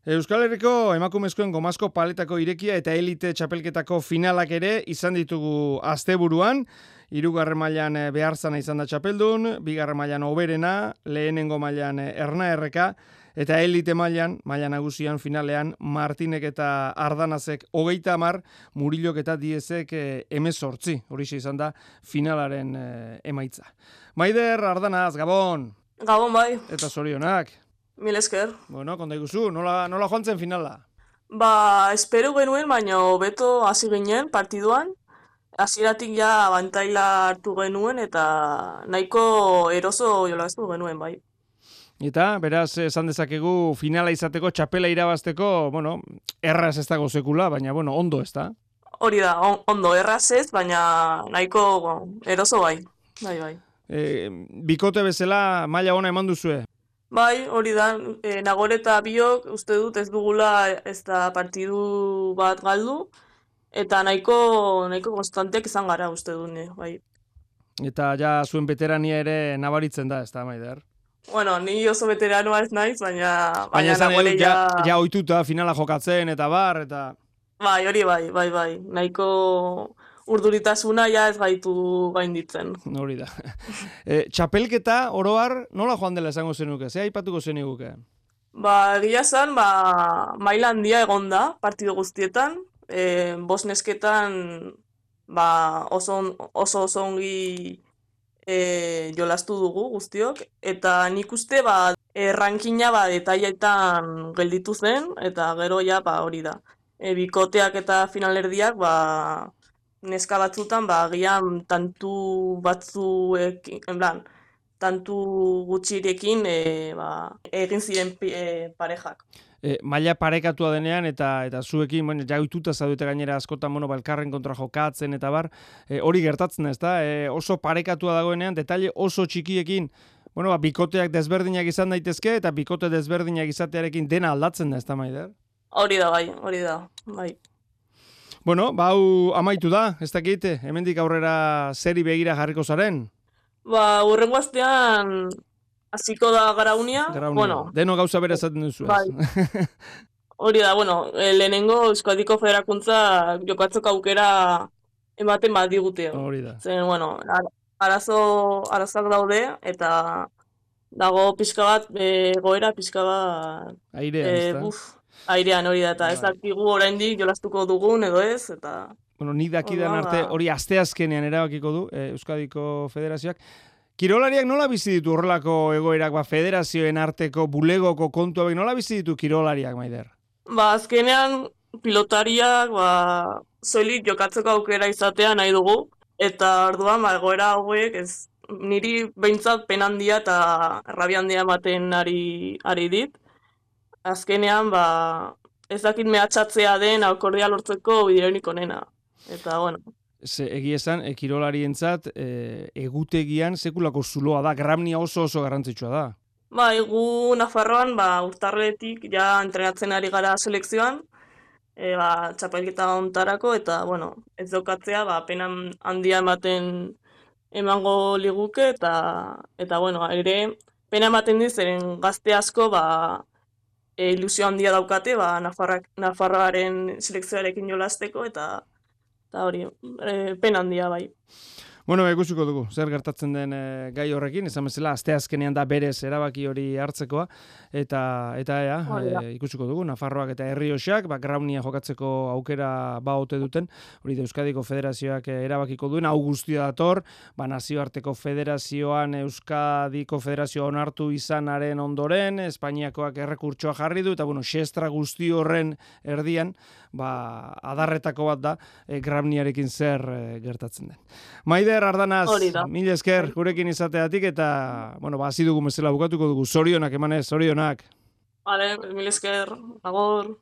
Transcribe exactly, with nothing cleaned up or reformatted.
Euskal Herriko emakumezkoen gomazko paletako irekia eta elite txapelketako finalak ere izan ditugu asteburuan. Hirugarren mailan Beharzana izan da txapeldun, bigarren mailan Oberena, lehenengo mailan Erna Erreka, eta elite mailan, maila nagusian finalean Martinek eta Ardanazek hogeita hamar, Murilok eta Diezek hemezortzi. Horixe izan da finalaren emaitza. Maider, Ardanaz, Gabon! Gabon bai. Eta zorionak. Mil esker. Bueno, konta iguzu, nola, nola joan zen finala? Ba, espero genuen, baina beto hasi ginen partiduan. Hasieratik ja abantaila hartu genuen eta nahiko eroso jolastu genuen bai. Eta, beraz, esan dezakegu finala izateko, txapela irabazteko, bueno, erraz ez dago sekula, baina, bueno, ondo ez da? Hori da, on, ondo erraz ez, baina nahiko eroso bai. Bai, bai. E, bikote bezala maila ona eman duzue? Bai, hori da, e, Nagore eta biok uste dut ez dugula ez da partidu bat galdu, eta nahiko, nahiko konstanteak izan gara uste dut, bai. Eta ja zuen veterania ere nabaritzen da, ez da, Maider? Bueno, ni oso veteranoa ez naiz, baina... Baina esan Nagore ja... Ja, ja oituta finala jokatzen eta bar, eta... Bai, hori bai, bai, bai, nahiko... Urduritasuna ja ez gaitu gainditzen. Hori da. E, txapelketa, oroar, nola joan dela esango zenuke? Ze aipatuko zeniguke? Ba, egia zan, ba, maila handia egon da, partido guztietan. E, bos nesketan, ba, oso, oso oso ongi e, jolastu dugu guztiok. Eta nik uste, ba, e, rankina, ba, detailetan gelditu zen, eta gero ja, ba, hori da. E, bikoteak eta finalerdiak, ba, neska batzutan, ba, agian tantu batzuek, en plan, tantu gutxirekin e, ba, egin ziren e, parejak. E, maila parekatua denean eta eta zuekin, bueno, ja ohituta zaudete gainera askotan, bueno, balkarren kontra jokatzen eta bar, e, hori gertatzen ez da, e, oso parekatua dagoenean, detaile oso txikiekin, bueno, ba, bikoteak desberdinak izan daitezke eta bikote desberdinak izatearekin dena aldatzen da, ez da, Maider? Hori da, bai, hori da, bai. Bueno, ba, hau amaitu da, ez dakit, hemendik aurrera zeri begira jarriko zaren? Ba, hurrengo astean hasiko da garaunia. Garaunia, bueno, deno gauza bera esaten duzu. Bai. Hori da, bueno, lehenengo Euskadiko Federakuntza jokatzeko aukera ematen bat digute. Hori da. Zen, bueno, arazo, arazak daude, eta dago pixka bat, e, goera pixka bat... Airean, e, ez da? Buf, airean hori da, eta ez dakigu oraindik jolastuko dugun edo ez, eta... Bueno, nik dakidan arte hori asteazkenean erabakiko du eh, Euskadiko Federazioak. Kirolariak nola bizi ditu horrelako egoerak, ba, federazioen arteko bulegoko kontuak, nola bizi ditu kirolariak, Maider? Ba, azkenean pilotariak, ba, soilik jokatzeko aukera izatea nahi dugu, eta orduan, ba, egoera hauek, ez, niri behintzat pen handia eta rabia handia ematen ari, ari dit. Azkenean, ba, ez dakit mehatxatzea den akordia lortzeko bideonik onena. Eta, bueno. Ze, egia esan, e, kirolarientzat e, egutegian sekulako zuloa da, Gramnia oso oso garrantzitsua da. Ba, egu Nafarroan, ba, urtarretik ja entrenatzen ari gara selekzioan, e, ba, txapelketa ontarako, eta, bueno, ez daukatzea, ba, penan handia ematen emango liguke, eta, eta, bueno, ere, pena ematen dizeren gazte asko, ba, e, ilusio handia daukate, ba, Nafarrak, Nafarroaren selekzioarekin jolasteko, eta eta hori, e, pena handia bai. Bueno, ikusiko dugu, zer gertatzen den e, gai horrekin, izan bezala, asteazkenean da berez erabaki hori hartzekoa, eta eta ea, e, ikusiko dugu, Nafarroak eta Errioxak, ba, Graunia jokatzeko aukera ba ote duten, hori da Euskadiko Federazioak erabakiko duen, hau guztia dator, ba, nazioarteko federazioan Euskadiko Federazioa onartu izanaren ondoren, Espainiakoak errekurtsoa jarri du, eta bueno, xestra guzti horren erdian, ba, adarretako bat da, e, Grauniarekin zer e, gertatzen den. Maider, Ardanaz, mila esker gurekin izateatik eta, bueno, ba, hasi dugu bezala bukatuko dugu, zorionak emanez, zorionak. Vale, mila esker, agor.